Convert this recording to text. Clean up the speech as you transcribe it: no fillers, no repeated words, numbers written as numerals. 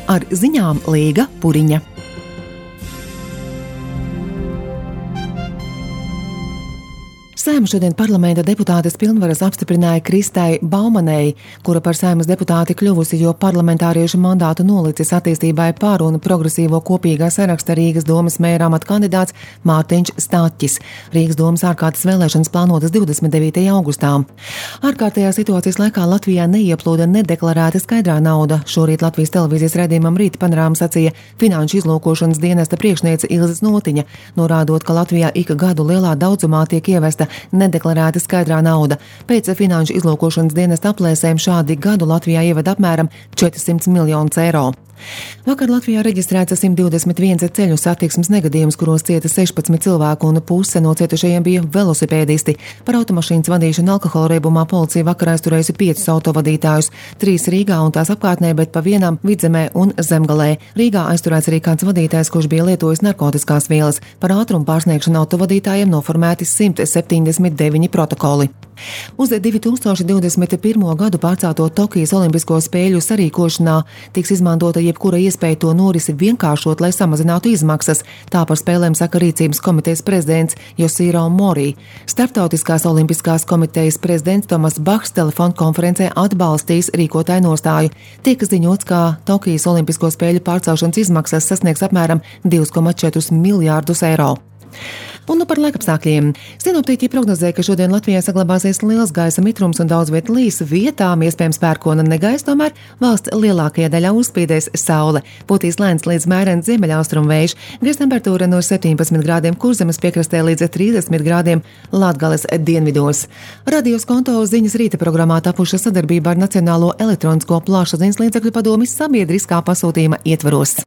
Ar ziņām Līga Puriņa. Saeimas šodien parlamenta deputātes pilnvaras apstiprināja Kristai Baumanei, kura par Saeimas deputāti kļuvusi, jo parlamentāriešu mandātu nolicis attīstībai par un progresīvo kopīgā saraksta Rīgas domas mēra amata kandidāts Mārtiņš Staķis. Rīgas domas ārkārtas vēlēšanas plānotas 29. augustā. Ārkārtējā situācijas laikā Latvijā neieplūda nedeklarēta skaidrā nauda. Šorīt Latvijas televīzijas raidījumam Rīta panorāma sacīja Finanšu izlūkošanas dienesta priekšniece Ilze Notiņa, norādot, ka Latvijā ik gadu lielā daudzumā tiek ievesta nedeklarēta skaidrā nauda. Pēc Finanšu izlūkošanas dienesta aplēsēm šādi gadu Latvijā ievada apmēram 400 miljonus eiro. Vakar Latvijā reģistrēts 121 ceļu satiksmes negadījums, kuros cieta 16 cilvēku un puse no cietušajiem bija velosipēdisti. Par automašīnas vadīšanu alkohola reibumā policija vakar aizturējusi 5 autovadītājus, 3 Rīgā un tās apkārtnē, bet pa vienam Vidzemē un Zemgalē. Rīgā aizturēts arī kāds vadītājs, kurš bija lietojis narkotiskās vielas. Par ātrumu pārsniegšanu autovadītājiem noformēti 179 protokoli. Uz 2021. gadu pārcelto Tokijas Olimpisko spēļu sarīkošanā tiks izmantota jebkura iespēja to norisi vienkāršot, lai samazinātu izmaksas. Tā par spēlēm saka Rīcības komitejas prezidents Josīro Morī. Starptautiskās olimpiskās komitejas prezidents Tomas Bahs telefonkonferencē atbalstīs rīkotāju nostāju. Tiek ziņots, ka Tokijas Olimpisko spēļu pārcelšanas izmaksas sasniegs apmēram 2,4 miljārdus eiro. Un par laikapstākļiem. Sinoptiķi prognozē, ka šodien Latvijā saglabāsies liels gaisa mitrums un daudz viet līs, vietām iespējams pērkona negaisa, tomēr valsts lielākajā daļā uzspīdēs saule. Pūtīs lēns līdz mērens ziemeļaustrumu vējš, gaisa temperatūra no 17 grādiem Kurzemes piekrastē līdz 30 grādiem Latgales dienvidos. Radio Skonto ziņas rīta programmā tapuša sadarbībā ar Nacionālo elektronisko plašsaziņas līdzekļu padomi sabiedriskā pasūtījuma ietvaros.